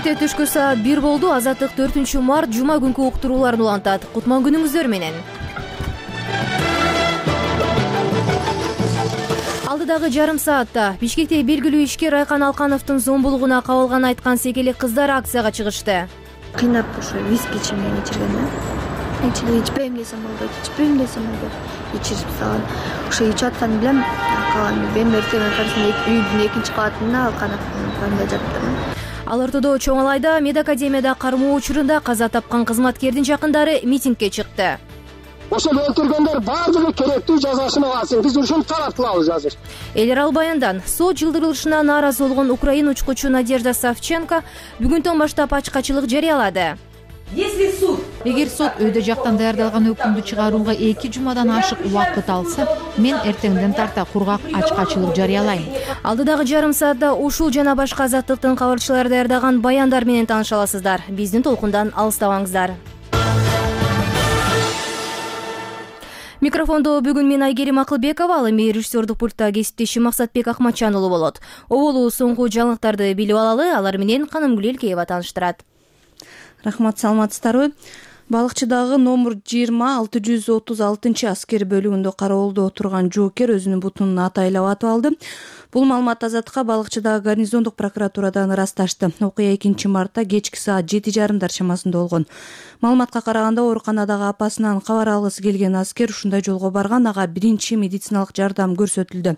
Кечте түшкү саат 1 болду. Азаттык 4-март жума күнкү уктурууларын улантат. Кутман күнүңүздөр менен. Алдыдагы жарым саатта Бишкекте белгилүү ишкер Айкан Алкановдун зомбулугуна кабылган айткан секелек кыздар акцияга чыгышты. Кыйнап ошо виски ичирген да. Ичпейм десем болду. Ичирип салган. Ошо ичип атканын билем. Мен эртең үйдүн экинчи кабатында Алкановдун кабатында жаттым. Ал ортодо Чоң Алайда медакадемияда кармоо учурунда каза тапкан кызматкердин жакындары митингге чыкты. Ошол өлтүргөндөр баардыгы керектүү жазасын алсын. Биз ушуну талап кылабыз азыр. Эл арал баяндан сот жылдырылышына нааразы болгон украин учкучу Надежда Савченко бүгүндөн баштап ачкачылык жарыялады. Эгер суд өйдө жактан даярдалган өкүмдү чыгарууга 2 жумадан ашык убакыт алса, мен эртеңден тарта кургак ачкачылык жарыялайм. Алдыдагы жарым саатта ушул жана башка азаттыктын кабарчылары даярдаган баяндар менен тааныша аласыздар. Биздин толкундан алыстабаңыздар. Микрофондо бүгүн мен Айгерим Акылбекова, ал эми режиссердук пультта кесиптешим Максатбек Акматжан уулу болот. Оболу соңку жаңылыктарды билип алалы, алар менен Канымгүл Элкеева тааныштырат. Рахмат, саламатсыздарбы? Балыкчыдагы номер 20-636 аскер бөлүгүндө кароолдо отурган жоокер өзүнүн бутун атайлап атып алды. Бул маалымат Азаттыкка Балыкчыдагы гарнизондук прокуратурадан ырасташты. Окуя 2-мартта кечки саат 7:30 чамасында болгон. Маалыматка караганда, ооруканадагы апасынан кабар алгысы келген аскер ушундай жолго барган, ага биринчи медициналык жардам көрсөтүлдү.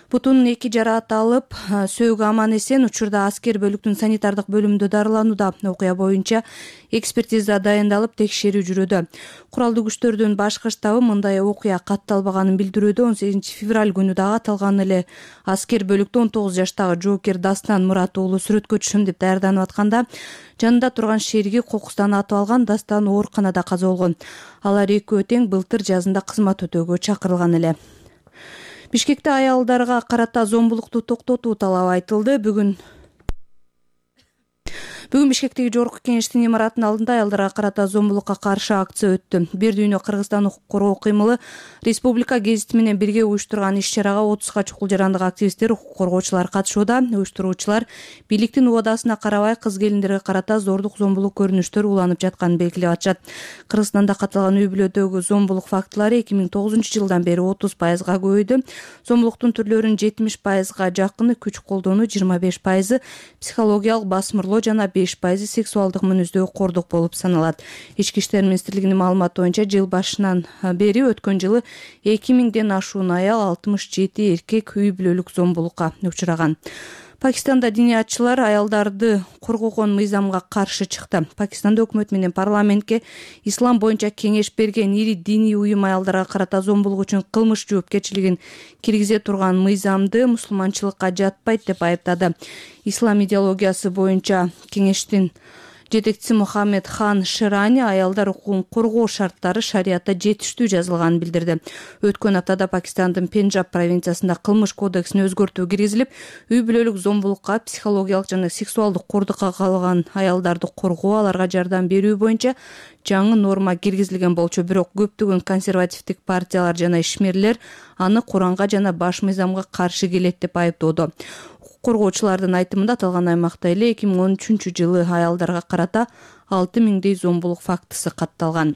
Бутунун 2 жараат алып, сөөгү аман эсен. Учурда аскер бөлүктүн санитардык бөлүмүндө дарыланууда. Окуя боюнча экспертиза дайындалып, текшерүү жүрүүдө. Куралдуу күчтөрдүн башкы штабы мындай окуя катталбаганын билдирүүдө. 18 февраль күнү дагы аталган эле аскер бөлүктө 19 жаштагы жоокер Дастан Мурат уулу сүрөткө түшөм деп даярданып атканда, жанында турган шериги кокустан атып алган. Дастан ооруканада каза болгон. Алар экөө тең былтыр жазында кызмат өтөөгө чакырылган эле. Бишкекте аялдарга карата зомбулукту токтотуу талабы айтылды. Бүгүн Бишкектеги жогорку кеңештин имаратынын алдында аялдарга карата зомбулукка каршы акция өттү. Бир дүйнө Кыргызстан укук коргоо кыймылы республика гезити менен бирге уюштурган иш-чарага 30га чукул жарандык активисттер, укук коргоочулар катышууда. Уюштуруучулар бийликтин убадасына карабай кыз келиндерге карата зордук зомбулук көрүнүштөр уланып жатканын белгилеп атышат. Кыргызстанда катталган үй-бүлөдөгү зомбулук фактылары 2009-жылдан бери 30%га көбөйдү. Зомбулуктун түрлөрүнүн 70%га жакыны күч колдонуу, 25% психологиялык басмырлоо жана 5% сексуалдык мүнөздөгү кордук болуп саналат. Ички иштер министрлигинин маалыматы боюнча жыл башынан бери өткөн жылы 2000ден ашуун аял, 67 эркек үй-бүлөлүк зомбулукка учураган. Пакистанда диниятчылар аялдарды коргогон мыйзамга каршы чыкты. Пакистанда өкмөт менен парламентке ислам боюнча кеңеш берген ири диний уюм аялдарга карата зомбулук үчүн кылмыш жоопкерчилигин киргизе турган мыйзамды мусулманчылыкка жатпайт деп айыптады. Ислам идеологиясы боюнча кеңештин жетекчиси Мухаммед Хан Ширани аялдар укугун коргоо шарттары шариятта жетиштүү жазылганын билдирди. Өткөн аптада Пакистандын Пенджаб провинциясында кылмыш кодексине өзгөртүү киргизилип, үй-бүлөлүк зомбулукка, психологиялык жана сексуалдык кордукка калган аялдарды коргоо, аларга жардам берүү боюнча жаңы норма киргизилген болчу. Бирок көптөгөн консервативдик партиялар жана ишмерлер аны Куранга жана баш мыйзамга каршы келет деп айыптоодо. Коргоочулардын айтымында аталган аймакта эле 2013-жылы аялдарга карата 6000дей зомбулук фактысы катталган.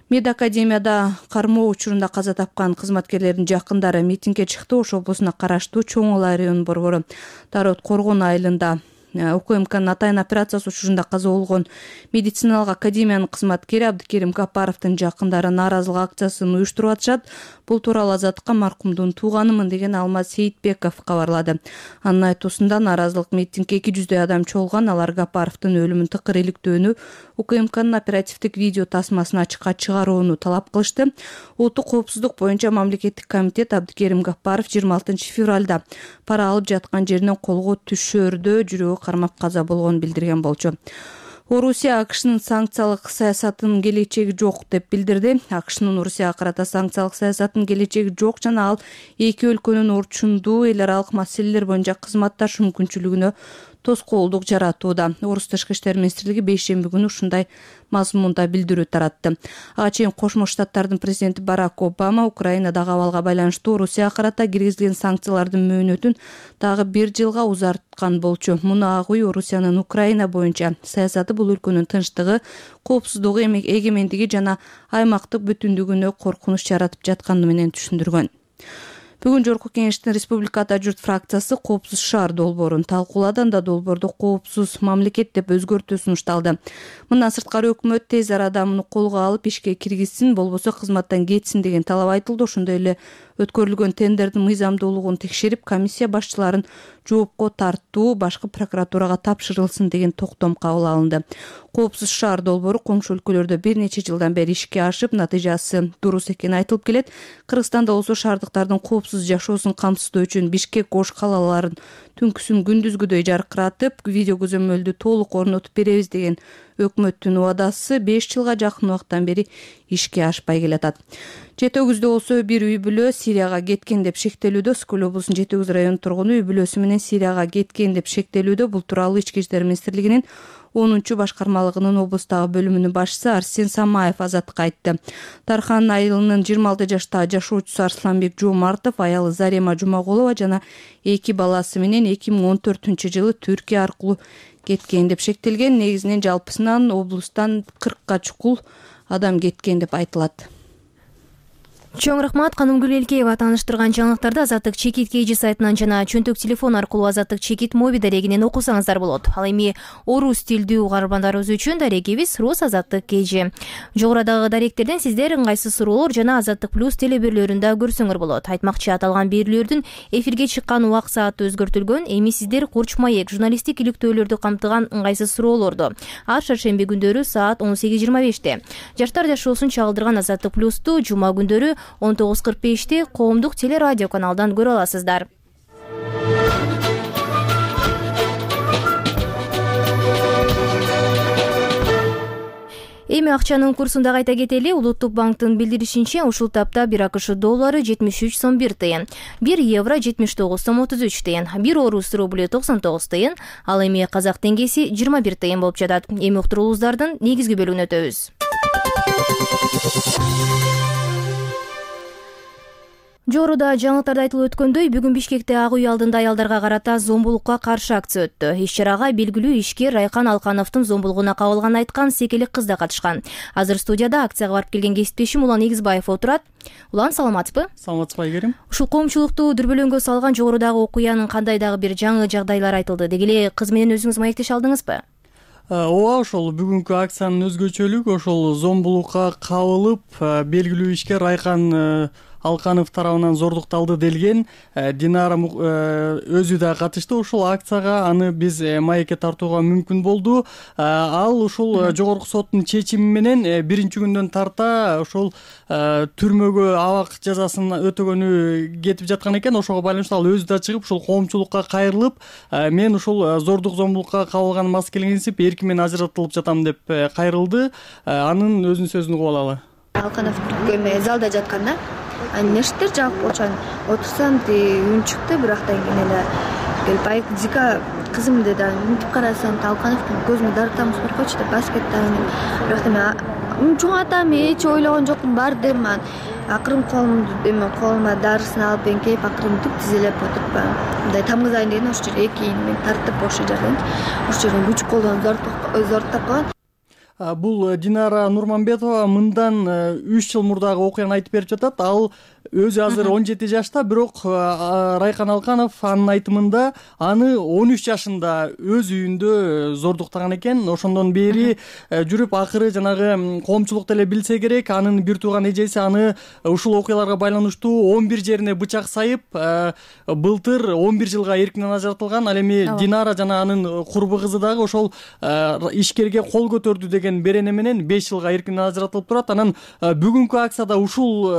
Медакадемияда кармоо учурунда каза тапкан кызматкерлердин жакындары митингге чыкты. Ош облусуна караштуу Чоң Алай район борбору Тарот Коргон айылында УКМКнын атайын операциясы учурунда каза болгон медициналык академиянын кызматкери Абдыкерим Гапаровдун жакындары нааразылык акциясын уюштуруп атышат. Бул тууралуу Азаттыкка маркумдун тууганымын деген Алмаз Сейитбеков кабарлады. Анын айтуусунда нааразылык митингге 200 адам чогулган. Алар Гапаровдун өлүмүн тыкыр иликтөөнү, УКМКнын оперативдик видео тасмасын ачыкка чыгарууну талап кылышты. Улуттук коопсуздук боюнча мамлекеттик комитет Абдыкерим Гапаров 26 февралда пара алып жаткан жеринен колго түшөрдө жүрөгү кармап каза болгонун билдирген болчу. Орусия АКШнын санкциялык саясатынын келечеги жок деп билдирди. АКШнын Орусияга карата санкциялык саясатынын келечеги жок жана ал эки өлкөнүн орчундуу эл аралык маселелер боюнча кызматташуу мүмкүнчүлүгүнө тоскоолдук жаратууда. Орус тышкы иштер министрлиги бейшемби күнү ушундай мазмунда билдирүү таратты. Ага чейин Кошмо Штаттардын президенти Барак Обама Украинадагы абалга байланыштуу Орусияга карата киргизилген санкциялардын мөөнөтүн дагы 1 жылга узарткан болчу. Муну ак үй Орусиянын Украина боюнча саясаты бул өлкөнүн тынчтыгы, коопсуздугу, эгемендиги жана аймактык бүтүндүгүнө коркунуч жаратып жатканы менен түшүндүргөн. Бүгүн жогорку кеңештин Республикада журт фракциясы коопсуз шаар долбоорун талкуулады. Анда долбоордо коопсуз мамлекет деп өзгөртүү сунушталды. Мындан сырткары өкмөт тез арада муну колго алып ишке киргизсин, болбосо кызматтан кетсин деген талап айтылды. Ошондой эле өткөрүлгөн тендердин мыйзамдуулугун текшерип, комиссия башчыларын жоопко тартуу башкы прокуратурага тапшырылсын деген токтом кабыл алынды. Коопсуз шаар долбоору коңшу өлкөлөрдө бир нече жылдан бери ишке ашып, натыйжасы дурус экени айтылып келет. Кыргызстанда болсо шаардыктардын коопсуз жашоосун камсыздоо үчүн Бишкек, Ош калаларын түнкүсүн күндүзгүдөй жаркыратып, видео көзөмөлдү толук орнотуп беребиз деген өкмөттүн убадасы 5 жылга жакын убакыттан бери ишке ашпай келатат. Жети Өгүздө болсо бир үй бүлө Сирияга кеткен деп шектелүүдө. Скөл облусунун Жети Өгүз районунун тургуну үй бүлөсү менен Сирияга кеткен деп шектелүүдө. Бул тууралуу Ички иштер министрлигинин 10 башкармалыгынын облустагы бөлүмүнүн башчысы Арсен Самаев Азаттыкка айтты. Тархан айылынын 26 жаштагы жашоочусу Арсланбек Жомартов аялы Зарема Жумагулова жана 2 баласы менен 2014-жылы Түркия аркылуу кеткен деп шектелген. Негизинен жалпысынан облустан 40 чукул адам кеткен деп айтылат. Чоң рахмат. Канымгүл Элкеева тааныштырган жаңылыктарды Азаттык чекит KG сайтынан жана чөнтөк телефон аркылуу Азаттык чекит моби дарегинен окусаңыздар болот. Ал эми орус тилдүү угармандарыбыз үчүн дарегибиз Рус Азаттык KG. Жогорудагы даректерден сиздер ыңгайсыз суроолор жана Азаттык плюс телеберлөрүндө көрсөңөр болот. Айтмакчы, аталган берүүлөрдүн эфирге чыккан убак сааты өзгөртүлгөн. Эми сиздер Курч маек журналисттик иликтөөлөрдү камтыган ыңгайсыз суроолорду ар шаршемби күндөрү саат 18:25-те, жаштар жашоосун чагылдырган Азаттык плюсту жума күндөрү 19:45-те коомдук телерадио каналдан көрө аласыздар. Эми акчанын курсун да кайта кетели. Улуттук банктын билдиришинче, ушул тапта 1 АКШ доллары 73 сом 1 тыйын, 1 евро 79 сом 33 тыйын, 1 орус рублю 99 тыйын, ал эми казак теңгеси 21 тыйын болуп жатат. Эми уктуруулуңуздардын негизги бөлүгүнө өтөбүз. Жогоруда жаңылыктарда айтылып өткөндөй, бүгүн Бишкекте ак үй алдында аялдарга карата зомбулукка каршы акция өттү. Иш-чарага белгилүү ишкер Райкан Алкановдун зомбулугуна кабылганын айткан секелик кыз да катышкан. Азыр студияда акцияга барып келген кесиптешим Улан Эгизбаев отурат. Улан, саламатсызбы? Саламатсызбы, Айгерим. Ушул коомчулукту дүрбөлөңгө салган жогорудагы окуянын кандай дагы бир жаңы жагдайлар айтылды. Деги эле кыз менен өзүңүз маектеше алдыңызбы? Ооба, ошол бүгүнкү акциянын өзгөчөлүгү ошол зомбулукка кабылып, белгилүү ишкер Райкан Алканов тарабынан зордукталды делген Динара өзү да катышты ушул акцияга. Аны биз маекке тартууга мүмкүн болду. Ал ушул жогорку соттун чечими менен биринчи күндөн тарта ушул түрмөгө абак жазасын өтөгөнү кетип жаткан экен. Ошого байланыштуу ал өзү да чыгып ушул коомчулукка кайрылып, мен ушул зордук зомбулукка кабылганыма мас келгенсип эркин менен ажыратылып жатам деп кайрылды. Анын өзүнүн сөзүн угуп алалы. Алканов залда жатканда нештер жаап болчу, отурсам үн чыкты, бирактан кийин эле келип айт Зика кызым деди. Мынтип карасам Алкановдун көзүмө дарытамыз баркочу деп басып кетти. Бирактан мен чоң атам, эч ойлогон жокмун, бар дем. Акырын колума дарысын алып эңкейип, акырын түп тизелеп отуруп, мындай тамгызайын деген ошол жерге 2 ийин тартып, ошол жерден күч колдонуп зордуктап койгон. Бул Динара Нурманбетова мындан 3 жыл мурдагы окуяны айтып берип жатат. Ал өзү азыр 17 жашта, бирок Райкан Алканов анын айтымында аны 13 жашында өз үйүндө зордуктаган экен. Ошондон бери жүрүп, акыры жанагы коомчулук деле билсе керек, анын бир тууган эжеси аны ушул окуяларга байланыштуу 11 жерине бычак сайып, былтыр 11 жылга эркинен ажыратылган. Ал эми Динара жана анын курбу кызы дагы ошол ишкерге кол көтөрдү деген берене менен 5 жылга эркинен ажыратылып турат. Анан бүгүнкү акцияда ушул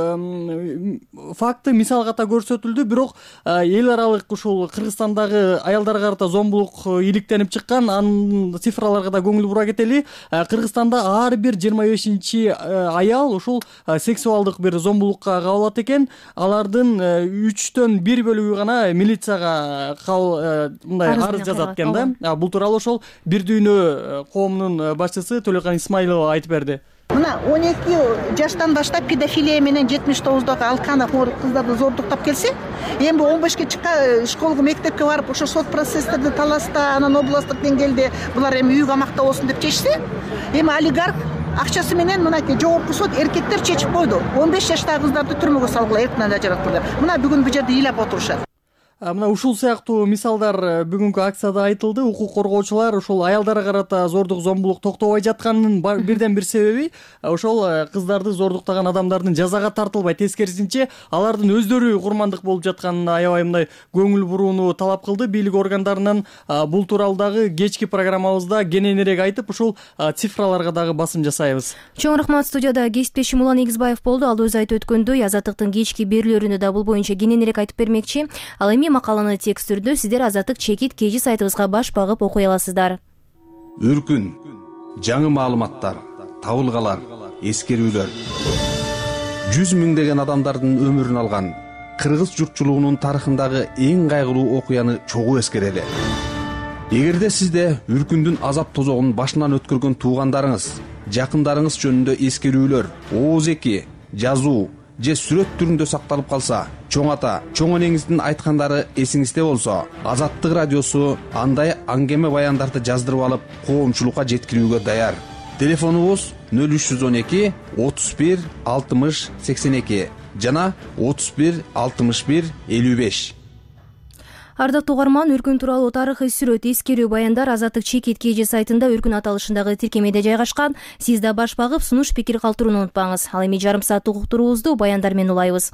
факты мисал ката көрсөтүлдү, бирок эл аралык ушул Кыргызстандагы аялдарга карата зомбулук иликтенип чыккан, анын цифраларга да көңүл бура кетели. Кыргызстанда ар бир 25-чи аял ушул сексуалдык бир зомбулукка кабылат экен. Алардын 3/1 бөлүгү гана милицияга мындай арыз жазат экен да. Бул тууралуу ошол Бир дүйнө коомунун башчысы Төлөкан Исмаилова айтып берди. Мына 12 жаштан баштап педофилия менен 79-дагы алкана кыздарды зордуктап келсе, эми 15ке чыкка школго, мектепке барып ошо сот процесстерди таласта, анан областтык деңгээлде булар эми үй камакта болсун деп чечсе, эми олигарх акчасы менен мынакей жогорку сот эркектер чечип койду. 15 жаштагы кыздарды түрмөгө салгыла, эрктен ажыраттыла. Мына бүгүн бул жерде ыйлап отурушат. Мына ушул сыяктуу мисалдар бүгүнкү акцияда айтылды. Укук коргоочулар ушул аялдарга карата зордук, зомбулук токтобой жатканынын бирден бир себеби ошол кыздарды зордуктаган адамдардын жазага тартылбай, тескерисинче алардын өздөрү курмандык болуп жатканына аябай мындай көңүл бурууну талап кылды бийлик органдарынан. Бул тууралуу дагы кечки программабызда кененирээк айтып, ушул цифраларга дагы басым жасайбыз. Чоң рахмат. Студияда кесиптешим Улан Эгизбаев болду. Ал өзү айтып өткөндөй, Азаттыктын кечки берүүлөрүндө да бул боюнча кененирээк айтып бермекчи. Ал эми макаланы текст түрдө сиздер Азаттык чекит KG сайтыбызга баш багып окуй аласыздар. Үркүн, жаңы маалыматтар, табылгалар, эскерүүлөр. 100 миңдеген адамдардын өмүрүн алган кыргыз журтчулугунун тарыхындагы эң кайгылуу окуяны чогуу эскерели. Эгерде сизде үркүндүн азап тозогун башынан өткөргөн туугандарыңыз, жакындарыңыз жөнүндө эскерүүлөр, ооз-эки, жазуу же сүрөт түрүндө сакталып калса, чоң ата, чоң энеңиздин айткандары эсиңизде болсо, Азаттык радиосу андай аңгеме баяндарды жаздырып алып, коомчулукка жеткирүүгө даяр. Телефонубуз 0312 31 60 82 жана 31 61 55. Ардактуу угарман, үркүн тууралуу тарыхый сүрөт, эскерүү баяндар Азаттык чекит KG сайтында үркүн аталышындагы тиркемеде жайгашкан. Сиз да баш багып, сунуш пикир калтырууну унутпаңыз. Ал эми жарым сааттык уктуруубузду баяндар менен улайбыз.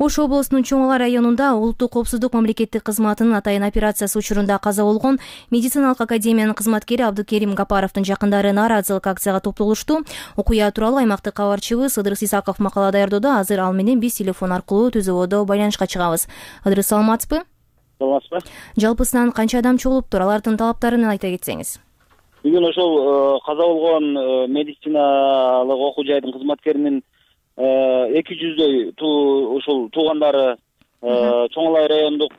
Ош облусунун Чоң Ала районунда улуттук коопсуздук мамлекеттик кызматынын атайын операциясы учурунда каза болгон медициналык академиянын кызматкери Абдыкерим Гапаровдун жакындары нааразылык акцияга топтолушту. Окуя тууралуу аймактык кабарчыбыз Ыдырыс Исаков макала даярдоодо. Азыр ал менен биз телефон аркылуу түзүүбөдө байланышка чыгабыз. Ыдырыс, саламатсызбы? Саламатсызбы? Жалпысынан канча адам чогулуптур? Алардын талаптарын айта кетсеңиз. Бүгүн ошол каза болгон медициналык окуу жайдын кызматкеринин 200дөй ушул туугандары Чоң Ала райондук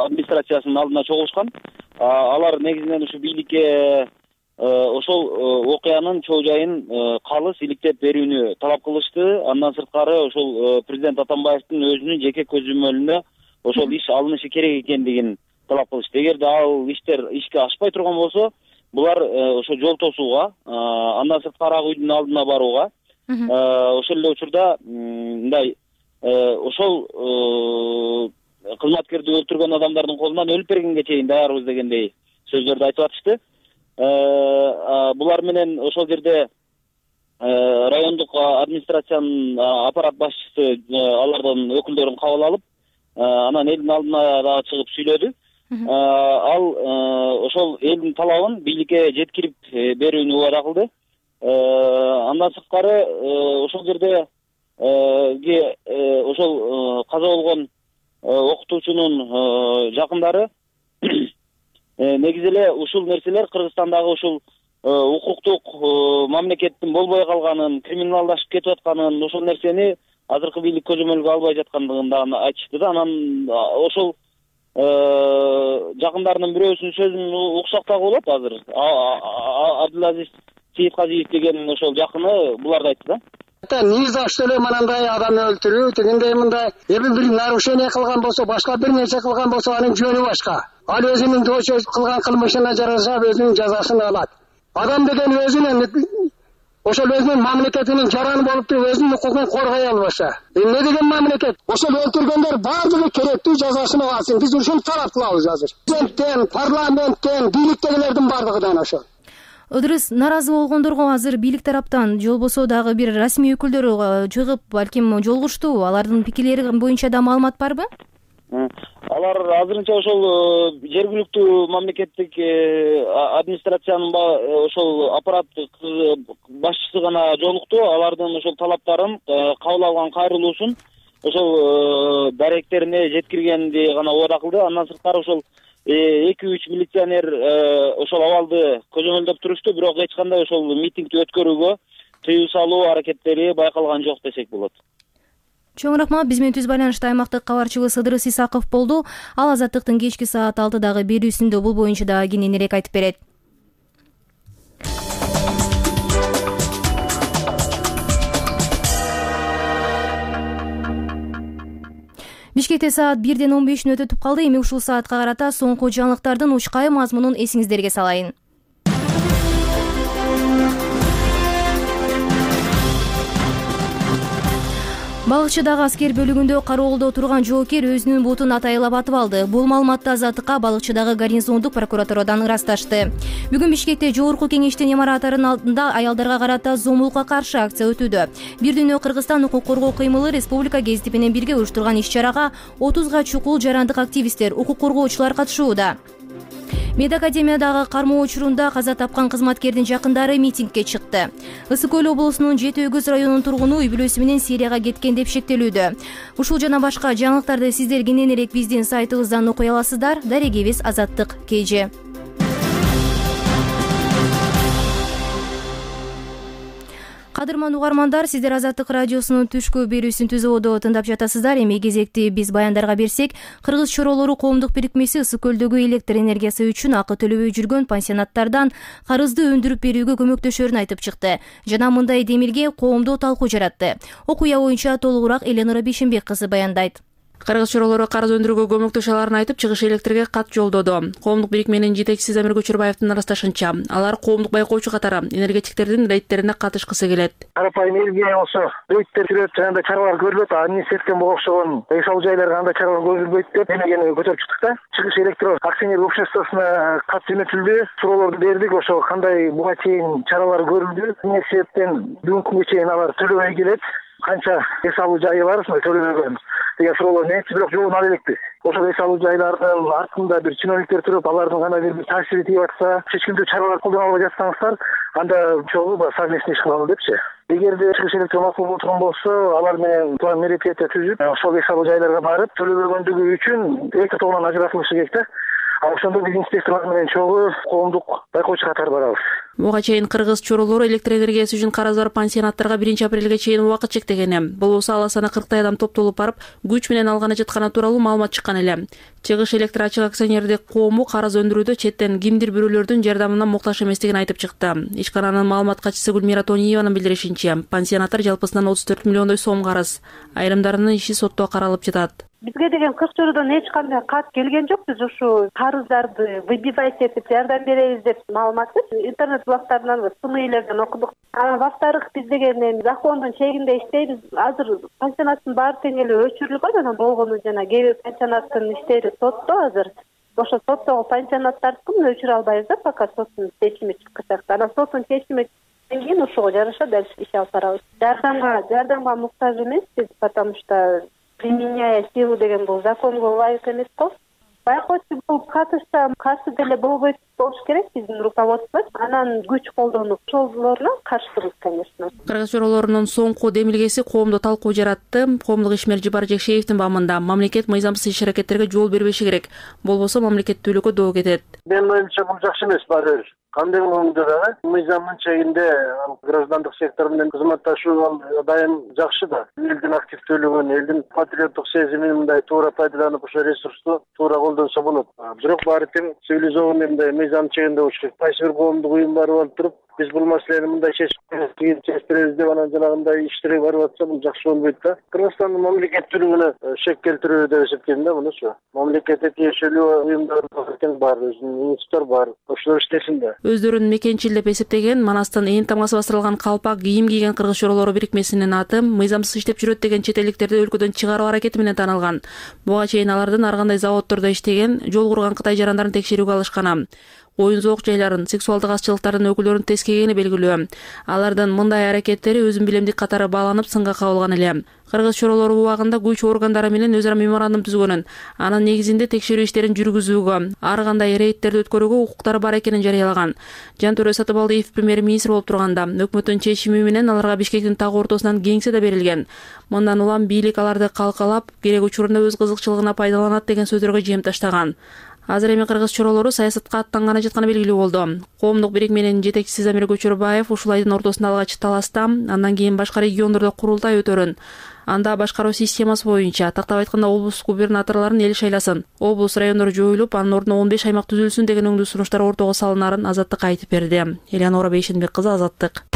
администрациясынын алдына чогулушкан. Алар негизинен ушу бийликке ошол окуянын чоо жайын калыс иликтеп берүүнү талап кылышты. Андан сырткары ошол президент Атамбаевдин өзүнүн жеке көзөмөлүнө ошол иш алынышы керек экендигин талап кылышты. Эгерде ал иштер ишке ашпай турган болсо, булар ошо жол тосууга, андан сырткары ак үйдүн алдына барууга, ошол эле учурда мындай ошол кызматкерди өлтүргөн адамдардын колунан өлүп бергенге чейин даярбыз дегендей сөздөрдү айтып атышты. Булар менен ошол жерде райондук администрациянын аппарат башчысы алардын өкүлдөрүн кабыл алып, анан элдин алдына дагы чыгып сүйлөдү. Ал ошол элдин талабын бийликке жеткирип берүүнү убада кылды. Андан сырткары ошол жерде ошол каза болгон окутуучунун жакындары негизи эле ушул нерселер Кыргызстандагы ушул укуктук мамлекеттин болбой калганын, криминалдашып кетип атканын, ошол нерсени азыркы бийлик көзөмөлгө албай жаткандыгын да айтышты да. Анан ошол жакындарынын бирөөсүнүн сөзүн уксак дагы болот азыр. Абдулазиз Сейитказиев деген ошол жакыны буларды айтты да. Ни за что эле мындай адам өлтүрүү, тигиндей мындай эми бир нарушение кылган болсо, башка бир нерсе кылган болсо, анын жөнү башка. Ал өзүнүн кылган кылмышына жараша өзүнүн жазасын алат. Адам деген өзүнүн ошол өзүнүн мамлекетинин жараны болуп туруп өзүнүн укугун коргой албаса, эмне деген мамлекет? Ошол өлтүргөндөр баардыгы керектүү жазасын алсын. Биз ушуну талап кылабыз азыр. Президенттен, парламенттен, бийликтегилердин баардыгынан ошол. Ыдырыс, нааразы болгондорго азыр бийлик тараптан же болбосо дагы бир расмий өкүлдөр чыгып, балким жолугушту. Алардын пикирлери боюнча да маалымат барбы? Алар азырынча ошол жергиликтүү мамлекеттик администрациянын ошол аппараттык башчысы гана жолукту. Алардын ошол талаптарын кабыл алган кайрылуусун ошол даректерине жеткиргенди гана убада кылды. Андан сырткары ошол 2-3 милиционер ошол абалды көзөмөлдөп турушту, бирок эч кандай ошол митингди өткөрүүгө тыюу салуу аракеттери байкалган жок десек болот. Чоң рахмат. Биз менен түз байланышта аймактык кабарчыбыз Ыдырыс Исаков болду. Ал Азаттыктын кечки саат 6дагы берүүсүндө бул боюнча да кененирээк айтып берет. Бишкекте саат 1:15 өтүп калды. Эми ушул саатка карата соңку жаңылыктардын учкай мазмунун эсиңиздерге салайын. Балыкчыдагы аскер бөлүгүндө кароолдо турган жоокер өзүнүн бутун атайылап атып алды. Бул маалыматты Азаттыкка Балыкчыдагы гарнизондук прокуратурадан ырасташты. Бүгүн Бишкекте жогорку кеңештин имаратынын алдында аялдарга карата зомбулукка каршы акция өтүүдө. Бир дүйнө Кыргызстан укук коргоо кыймылы республика гезити менен бирге уюштурган иш-чарага 30га чукул жарандык активисттер, укук коргоочулар катышууда. Мед академиядагы кармоо учурунда каза тапкан кызматкердин жакындары митингге чыкты. Ысык көл облусунун Жети Өгүз районунун тургуну үй бүлөсү менен Сирияга кеткен деп шектелүүдө. Ушул жана башка жаңылыктарды сиздер кененирээк биздин сайтыбыздан окуй аласыздар. Дарегибиз Азаттык KG. Кадырман угармандар, сиздер Азаттык радиосунун түшкү берүүсүн түзүүдө тыңдап жатасыздар. Эми кезекти биз баяндарга берсек, Кыргыз чоролору коомдук бирикмеси Ысык көлдөгү электр энергиясы үчүн акы төлөбөй жүргөн пансионаттардан карызды өндүрүп берүүгө көмөктөшөрүн айтып чыкты жана мындай демилге коомдо талкуу жаратты. Окуя боюнча толугураак Эленора Бишимбек кызы баяндайт. Кыргыз чоролору карыз өндүрүүгө көмөктөшө аларын айтып, чыгыш электрге кат жолдоду. Коомдук бирикменин жетекчиси Замир Көчөрбаевдин ырасташынча, алар коомдук байкоочу катары энергетиктердин рейдтерине катышкысы келет. Карапайым элге болсо рейдтер жүрөт, жана чаралар көрүлөт, административден окшогон үй салуу жайларга андай чаралар көрүлбөйт деп демегени көтөрүп чыктык да. Чыгыш электро акционер обществосуна кат жөнөтүлдү, суроолорду бердик, ошо кандай буга чейин чаралар көрүлдү. Эмне себептен бүгүнкү күнгө чейин алар төлөбөй келет, канча эс алуу жайы бар төлөбөгөн деген суроолор нечи, бирок жообун ала элекпиз. Ошол эс алуу жайлардын артында бир чиновниктер туруп, алардын кандайдыр бир таасири тийип атса, чечкиндүү чаралар колдоно албай жатсаңыздар, анда чогуу совместный иш кылалы депчи. Эгерде чыгыш электр макул болуп турган болсо, алар менен план мероприятия түзүп, ошол эс алуу жайларга барып, төлөбөгөндүгү үчүн электр тогунан ажыратылышы керек да. Ошондо биз инспекторлор менен чогуу коомдук байкоочу катары барабыз. Буга чейин Кыргыз чоролору электр энергиясы үчүн карыз бар пансионаттарга 1-апрелге чейин убакыт чектегени. Болбосо ала саны 40 адам топтолуп барып, күч менен алганы жатканы тууралуу маалымат чыккан эле. Чыгыш электр ачык акционердик коому карыз өндүрүүдө четтен кимдир бирөөлөрдүн жардамына муктаж эместигин айтып чыкты. Ишкананын маалымат катчысы Гүлмира Тониеванын билдиришинче, пансионаттар жалпысынан 34 миллиондой сом карыз. Айрымдарынын иши сотто каралып жатат. Бизге деген Кыргызчородон эч кандай кат келген жок. Биз ушу карыздарды выбивать этип жардам беребиз деп маалыматты интернет блогтарынан, СМИлерден окудук. Во-вторых, биз деген закондун чегинде иштейбиз. Азыр пансионаттын баары тең эле өчүрүлгөн, анан болгону жана кээ бир пансионаттын иштери сотто азыр. Ошо соттогу пансионаттардыкын өчүрө албайбыз да, пока соттун чечими чыккачак. Анан соттун чечими кийин ушуга жараша дальше иш алып барабыз. Жардамга муктаж эмеспиз, потому что применяя силу деген бул законго ылайык эмес го. Байкоочу болуп катышса каршы деле болбойт болуш керек биздин руководство. Анан күч колдонуп ошолоруна каршыбыз, конечно. Кыргыз чоролорунун соңку демилгеси коомдо талкуу жаратты. Коомдук ишмер Жибар Жекшеевдин бамында мамлекет мыйзамсыз иш-аракеттерге жол бербеши керек. Болбосо мамлекеттүүлүккө доо кетет. Менин оюмча бул жакшы эмес баары. Кандай болгондо да мыйзамдын чегинде граждандык сектор менен кызматташуу дайым жакшы да. Элдин активдүүлүгүн, элдин патриоттук сезимин мындай туура пайдаланып, ошо ресурсту туура колдонсо болот. Бирок баары тең цивилизованный мыйзам чегинде болуш керек. Кайсы бир коомдук уюм барып алып туруп, биз бул маселени мындай чечип беребиз деп анан жанагындай иштерге барып атса, бул жакшы болбойт да. Кыргызстандын мамлекеттүүлүгүнө шек келтирүү деп эсептейм да мунучу. Мамлекетке тиешелүү уюмдар тең бар, өзүнүн институттар бар. Ошолор иштесин да. Өздөрүн мекенчил деп эсептеген Манастын ээн тамгасы бастырылган калпак кийим кийген Кыргыз чоролору бирикмесинин аты мыйзамсыз иштеп жүрөт деген чет элдиктерди өлкөдөн чыгаруу аракети менен таанылган. Буга чейин алардын ар кандай заводдордо иштеген, жол курган Кытай жарандарын текшерүүгө алышкан. коюн зоок жайларын, сексуалдык азчылыктардын өкүлдөрүн тескегени белгилүү. Алардын мындай аракеттери өзүн билемдик катары бааланып сынга кабылган эле. Кыргыз чоролору убагында күч органдары менен өзара меморандум түзгөнүн, анын негизинде текшерүү иштерин жүргүзүүгө, ар кандай рейдтерди өткөрүүгө укуктары бар экенин жарыялаган. Жантөре Сатыбалдиев премьер-министр болуп турганда өкмөттүн чечими менен аларга Бишкектин так ортосунан кеңсе да берилген. Мындан улам бийлик аларды калкалап, керек учурунда өз кызыкчылыгына пайдаланат деген сөздөргө жем таштаган. Азыр эми кыргыз чоролору саясатка аттанганы жатканы белгилүү болду. Коомдук бирикменин жетекчиси Замир Көчөрбаев ушул айдын ортосунда алгач таласта, андан кийин башка региондордо курултай өтөрүн. Анда башкаруу системасы боюнча, тактап айтканда облус губернаторлорун эл шайласын, облус райондор жоюлуп, анын ордуна 15 аймак түзүлсүн деген өңдүү сунуштар ортого салынарын Азаттыкка айтып берди. Элеонора Бейшенбек кызы, Азаттык.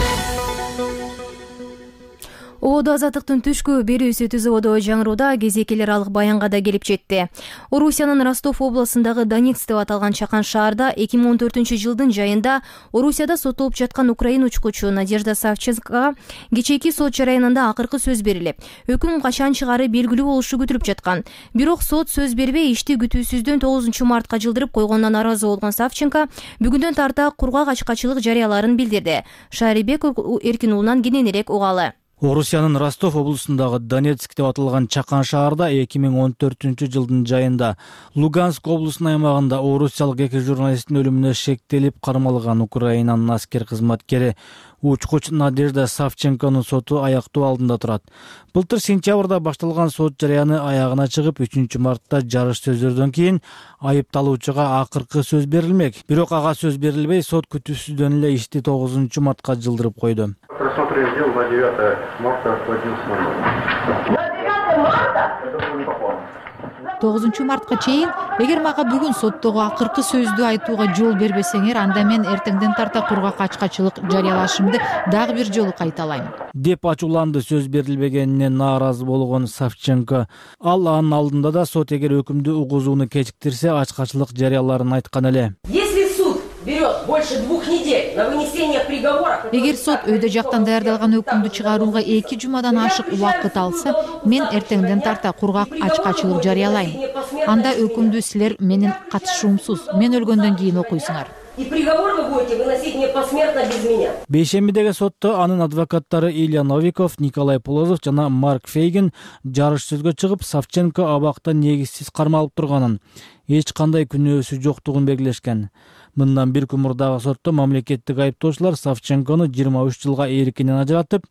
Ободо Азаттыктын түшкү берүүсү ТЗОдо жаңырууда кезекелер алык баянга да келип жетти. Орусиянын Ростов областындагы Донецк деп аталган чакан шаарда 2014-жылдын жайында Орусияда соттолуп жаткан украин учкучу Надежда Савченкага кечээки сот жараянында акыркы сөз берилип, өкүм качан чыгаары белгилүү болушу күтүлүп жаткан. Бирок сот сөз бербей ишти күтүүсүздөн 9-мартка жылдырып койгондон наразы болгон Савченко бүгүндөн тарта кургак ачкачылык жарыяларын билдирди. Шаарибек Эркин уулунан кененирээк угалы. Орусиянын Ростов облусундагы Донецк деп аталган чакан шаарда 2014-жылдын жайында Луганск облусунун аймагында орусиялык 2 журналисттин өлүмүнө шектелип кармалган Украинанын аскер кызматкери учкуч Надежда Савченконун соту аяктоо алдында турат. Былтыр сентябрда башталган сот жарыяны аягына чыгып, 3-мартта жарыш сөздөрдөн кийин айыпталуучуга акыркы сөз берилмек. Бирок ага сөз берилбей, сот күтүүсүздөн эле ишти 9-мартка жылдырып койду. Просмотрели дело на 9 марта в 11:00. На 9 марта? 9-мартка чейин, эгер мага бүгүн соттогу акыркы сөздү айтууга жол бербесеңер, анда мен эртеңден тарта кургак ачкачылык жарыялашымды дагы бир жолу кайталайм деп ачууланды сөз берилбегенине нааразы болгон Савченко. Ал анын алдында да сот эгер өкүмдү угузууну кечиктирсе, ачкачылык жарыяларын айткан эле. Берет больше 2 недель на вынесение приговора. Эгер сот өйдө жактан даярдалган өкүмдү чыгарууга 2 жумадан ашык убакыт алса, мен эртеңден тарта кургак ачкачылык жарыялайм. Анда өкүмдү силер менин катышуумсуз, мен өлгөндөн кийин окуйсуңар. И приговор вы будете выносить не посмертно без меня. Бейшембидеги сотто анын адвокаттары Илья Новиков, Николай Полозов жана Марк Фейгин жарыш сөзгө чыгып, Савченко абакта негизсиз кармалып турганын, эч кандай күнөөсү жоктугун белгилешкен. Мындан бир күн мурдагы сотто мамлекеттик айыптоочулар Савченкону 23 жылга эркинен ажыратып,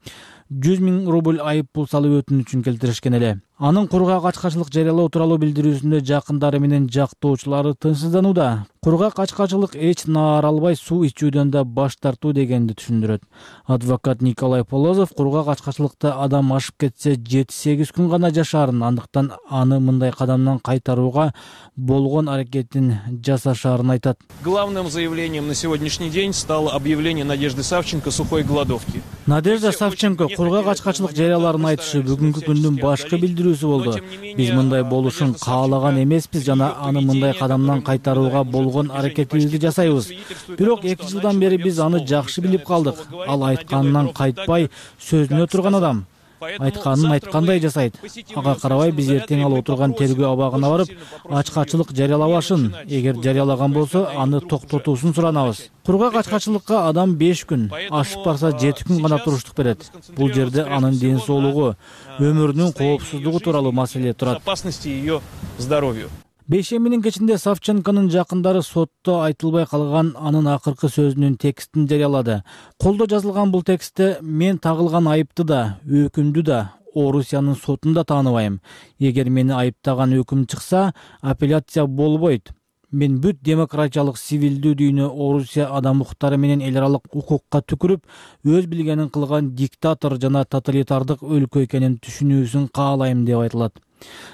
100 000 рубль айып пул салып өтүнүчүн келтиришкен эле. Анын кургак ачкачылык жарыялоо тууралуу билдирүүсүндө жакындары менен жактоочулары тынчсызданууда. Кургак ачкачылык эч наар албай суу ичүүдөн да баш тартуу дегенди түшүндүрөт. Адвокат Николай Полозов кургак ачкачылыкта адам ашып кетсе 7-8 күн гана жашаарын, андыктан аны мындай кадамдан кайтарууга болгон аракетин жасашаарын айтат. Главным заявлением на сегодняшний день стало объявление Надежды Савченко сухой голодовки. Надежда Савченко кургак ачкачылык жарыяларын айтышы бүгүнкү күндүн башкы билдирүүсү болду. Биз мындай болушун каалаган эмеспиз жана аны мындай кадамдан кайтарууга болгон аракетибизди жасайбыз. Бирок 2 жылдан бери биз аны жакшы билип калдык. Ал айтканынан кайтпай, сөзүнө турган адам. Айтканын айткандай жасайт. Ага карабай биз эртең ал отурган тергөө абагына барып, ачкачылык жарыялабашын. Эгер жарыялаган болсо, аны токтотуусун суранабыз. Кургак ачкачылыкка адам 5 күн, ашып барса 7 күн гана туруштук берет. Бул жерде анын ден соолугу, өмүрүнүн коопсуздугу тууралуу маселе турат. Безопасности ее здоровью. Бейшембинин кечинде Савченконун жакындары сотто айтылбай калган анын акыркы сөзүнүн текстин жарыялады. Колдо жазылган бул текстте мен тагылган айыпты да, өкүмдү да Орусиянын сотун да тааныбайм. Эгер мени айыптаган өкүм чыкса, апелляция болбойт. Мен бүт демократиялык сивилдүү дүйнө Орусия адам укуктары менен эл аралык укукка түкүрүп, өз билгенин кылган диктатор жана тоталитардык өлкө экенин түшүнүүсүн каалайм деп айтылат.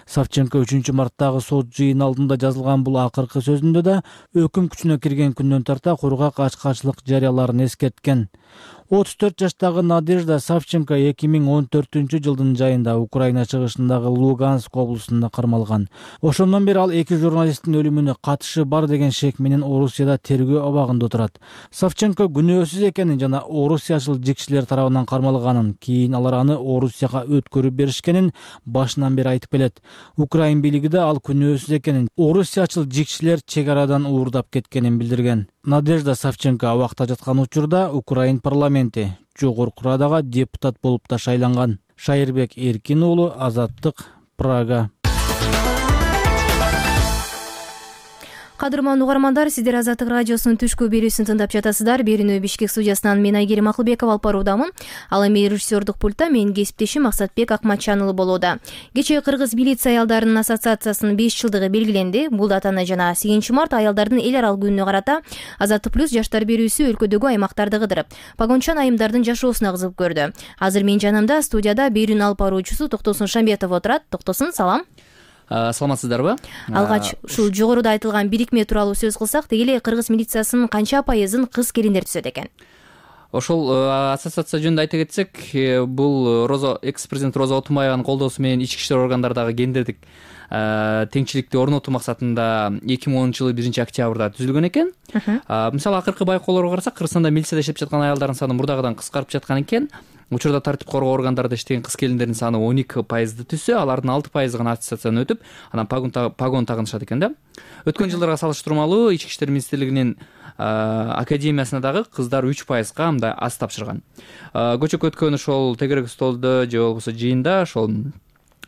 Савченко 3-марттагы сот жыйын алдында жазылган бул акыркы сөзүндө да өкүм күчүнө кирген күндөн тарта кургак ачкачылык жарыяларын эскерткен. 34 жаштагы Надежда Савченко 2014-жылдын жайында Украина чыгышындагы Луганск облусунда кармалган. Ошондон бери ал 2 журналисттин өлүмүнө катышы бар деген шек менен Орусияда тергөө абагында турат. Савченко күнөөсүз экенин жана орусиячыл жикчилер тарабынан кармалганын, кийин алар аны Орусияга өткөрүп беришкенин башынан бери айтып келет. Украин бийлиги да ал күнөөсүз экенин, орусиячыл жикчилер чек арадан уурдап кеткенин билдирген. Надежда Савченко абакта жаткан учурда Украин парламенти жогорку радага депутат болуп да шайланган. Шайырбек Эркин уулу, Азаттык, Прага. Кадырман угармандар, сиздер Азаттык радиосунун түшкү берүүсүн тыңдап жатасыздар. Берүүнү Бишкек студиясынан мен Айгерим Акылбекова алып баруудамын. Ал эми режиссердук пультта менин кесиптешим Максатбек Акматчанұлы болууда. Кечээ Кыргыз милиция аялдарынын ассоциациясынын 5 жылдыгы белгиленди. Бул датаны жана 8 март аялдардын эл аралык күнүнө карата Азаттык плюс жаштар берүүсү өлкөдөгү аймактарды кыдырып, погончан айымдардын жашоосуна кызыгып көрдү. Азыр менин жанымда студияда берүүнү алып баруучусу Токтосун Шамбетов отурат. Токтосун, салам. Саламатсыздарбы? Алгач ушул жогоруда айтылган бирикме тууралуу сөз кылсак, деги эле Кыргыз милициясынын канча пайызын кыз келиндер түзөт экен? Ошол ассоциация жөнүндө айта кетсек, бул экс-президент Роза Отунбаеванын колдоосу менен ички иштер органдарындагы гендердик теңчиликти орнотуу максатында 2010-жылы 1-октябрда түзүлгөн экен. Мисалы, акыркы байкоолорго карасак, Кыргызстанда милицияда иштеп жаткан аялдардын саны мурдагыдан кыскарып жаткан экен. Учурда тартип коргоо органдарында иштеген кыз келиндердин саны 12% түзсө, алардын 6% гана аттестациядан өтүп, анан погон тагынышат экен да. Өткөн жылдарга салыштырмалуу Ички иштер министрлигинин академиясына дагы кыздар 3%га мындай аз тапшырган. Көчөккө өткөн ошол тегерек столдо же болбосо жыйында ошол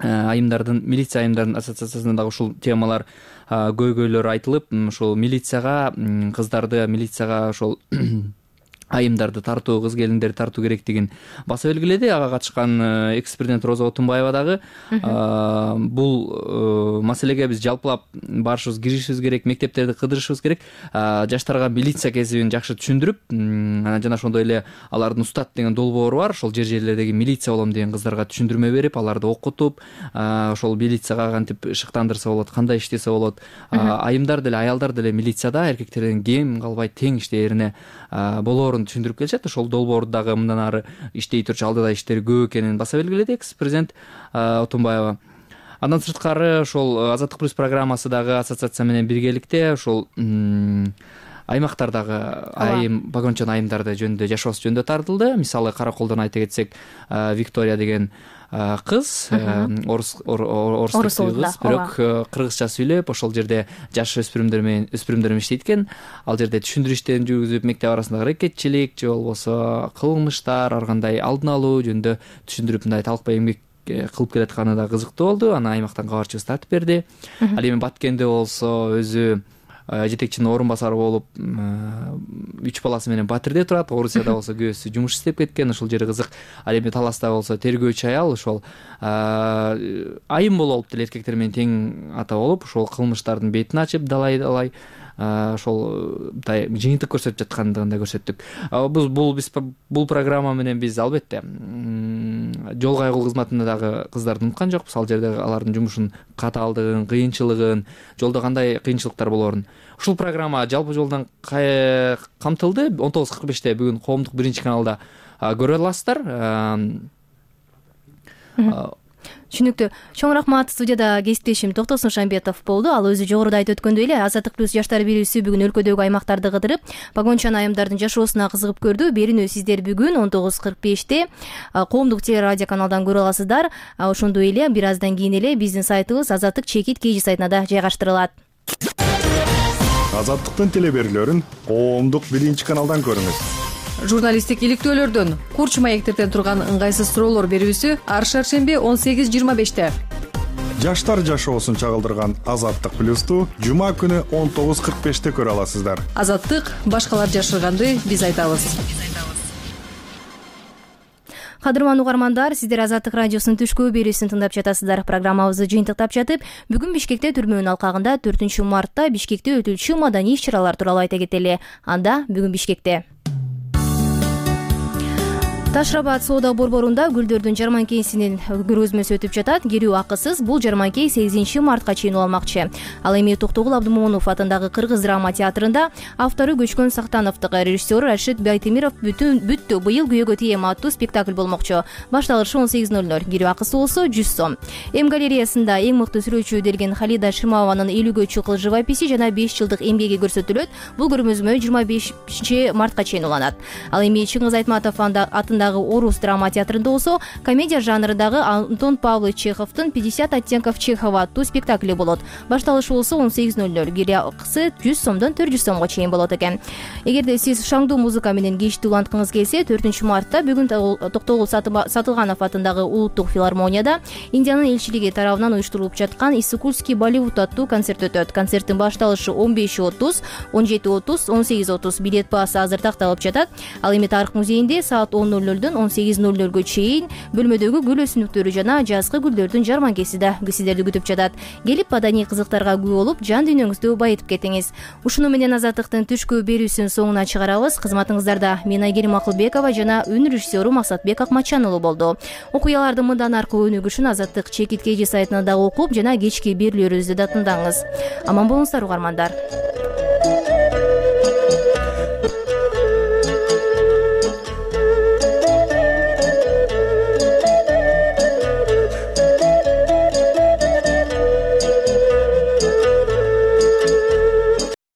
айымдардын, милиция айымдардын ассоциациясында дагы ушул темалар көйгөйлөр айтылып, ошол милицияга кыздарды, милицияга ошол айымдарды тартуу, кыз келиндерди тартуу керектигин баса белгиледи. Ага катышкан экс-президент Роза Отунбаева дагы бул маселеге биз жалпылап барышыбыз, киришибиз керек, мектептерди кыдырышыбыз керек, жаштарга милиция кесибин жакшы түшүндүрүп, жана ошондой эле алардын устат деген долбоору бар, ошол жерлердеги милиция болом деген кыздарга түшүндүрмө берип, аларды окутуп, ошол милицияга кантип шыктандырса болот, кандай иштесе болот, айымдар деле, аялдар деле милицияда эркектерден кем калбай тең иштээрине болоорун түшүндүрүп келишет. Ошол долбоорду дагы мындан ары иштей турчу алдыда иштери көп экенин баса белгиледи экс-президент Отунбаева. Андан сырткары ошол Азаттык плюс программасы дагы ассоциация менен биргеликте ошол аймактардагы айым, погончан айымдарды жөнүндө, жашоосу жөнүндө тартылды. Мисалы, Караколдон айта кетсек, Виктория деген кыз, орус кыз, бирок кыргызча сүйлөп, ошол жерде жаш өспүрүмдөр менен иштейт экен. Ал жерде түшүндүрүү иштерин жүргүзүп, мектеп арасындагы рекетчилик же болбосо кылмыштар, ар кандай алдын алуу жөнүндө түшүндүрүп, мындай талкпай эмгек кылып келатканы да кызыктуу болду. Аны аймактан кабарчыбыз тартып берди. Ал эми Баткенде болсо өзү жетекчинин орун басары болуп 3 баласы менен Батирде турат. Орусияда болсо күйөөсү жумуш иштеп кеткен, ошол жери кызык. Ал эми Таласта болсо тергөөчү аял ошол айым болуп деле эркектер менен тең ата болуп, ошол кылмыштардын бетин ачып далай ошол жыйынтык көрсөтүп жаткандыгын да көрсөттүк. Бул программа менен биз албетте жол кайгуу кызматында дагы кыздарды унуткан жокпуз. Ал жерде алардын жумушунун катаалдыгын, кыйынчылыгын, жолдо кандай кыйынчылыктар болоорун. Ушул программа жалпы жолдон камтылды. 19:45-те бүгүн коомдук 1-каналда көрө аласыздар. Түшүнүктүү. Чоң рахмат. Студияда кесиптешим Токтосун Шамбетов болду. Ал өзү жогоруда айтып өткөндөй эле Азаттык плюс жаштар берүүсү бүгүн өлкөдөгү аймактарды кыдырып, погончан айымдардын жашоосуна кызыгып көрдү. Берүүнү сиздер бүгүн 19:45-те коомдук телерадио каналдан көрө аласыздар. Ошондой эле бир аздан кийин эле биздин сайтыбыз Азаттык чекит KG сайтына да жайгаштырылат. Азаттыктын телеберүүлөрүн коомдук 1-каналдан көрүңүз. Журналисттик иликтөөлөрдөн, курч маектерден турган ыңгайсыз суроолор берүүсү ар шаршемби 18:25-те. Жаштар жашоосун чагылдырган Азаттык плюсту жума күнү 19:45-те көрө аласыздар. Азаттык башкалар жашырганды биз айтабыз. Кадырман угармандар, сиздер Азаттык радиосунун түшкү берүүсүн тыңдап жатасыздар. Программабызды жыйынтыктап жатып, бүгүн Бишкекте түрмөнүн алкагында 4-мартта Бишкекте өтүлчү маданий иш-чаралар тууралуу айта кетели. Анда бүгүн Бишкекте Ташрабад соода борборунда гүлдөрдүн жарманкесинин көргөзмөсү өтүп жатат. Кирүү акысыз. Бул жарманке 8-мартка чейин уланмакчы. Ал эми Токтогул Абдымомунов атындагы Кыргыз драма театрында автору Көчкөн Сактановдук, режиссеру Рашид Байтемиров бүттү быйыл күйөөгө тием аттуу спектакль болмокчу. Башталышы 18:00. Кирүү акысы болсо 100 сом. Эм галереясында эң мыкты сүрөтчү делген Халида Шырмаванын 50 чукул живописи жана 5 жылдык эмгеги көрсөтүлөт. Бул көргөзмө 25-мартка чейин уланат. Ал эми Чыңгыз Айтматов атындагы атындагы орус драма театрында болсо комедия жанрындагы Антон Павлович Чеховдун 50 оттенков Чехова аттуу спектакли болот. Башталышы болсо 18:00, кире акысы 100 сомдон 400 сомго чейин болот экен. Эгерде сиз шаңдуу музыка менен кечти уланткыңыз келсе, 4-мартта бүгүн Токтогул Сатылганов атындагы улуттук филармонияда Индиянын элчилиги тарабынан уюштурулуп жаткан Иссыкульский Болливуд аттуу концерт өтөт. Концерттин башталышы 15:30, 17:30, 18:30 билет баасы азыр такталып жатат. Ал эми Тарых музейинде саат 10:00дон 18:00гө чейин бөлмөдөгү гүл өсүмдүктөрү жана жазгы гүлдөрдүн жарманкеси да сиздерди күтүп жатат. Келип маданий кызыктарга күбө болуп, жан дүйнөңүздү байытып кетиңиз. Ушуну менен Азаттыктын түшкү берүүсүнүн соңуна чыгарабыз. Кызматыңыздарда мен Айгерим Акылбекова жана үн режиссеру Максатбек Акматчан уулу болду. Окуяларды мындан аркы өнүгүшүн Азаттык чекит KG сайтынан да окуп жана кечки берүүлөрүбүздү да тыңдаңыз. Аман болуңуздар угармандар.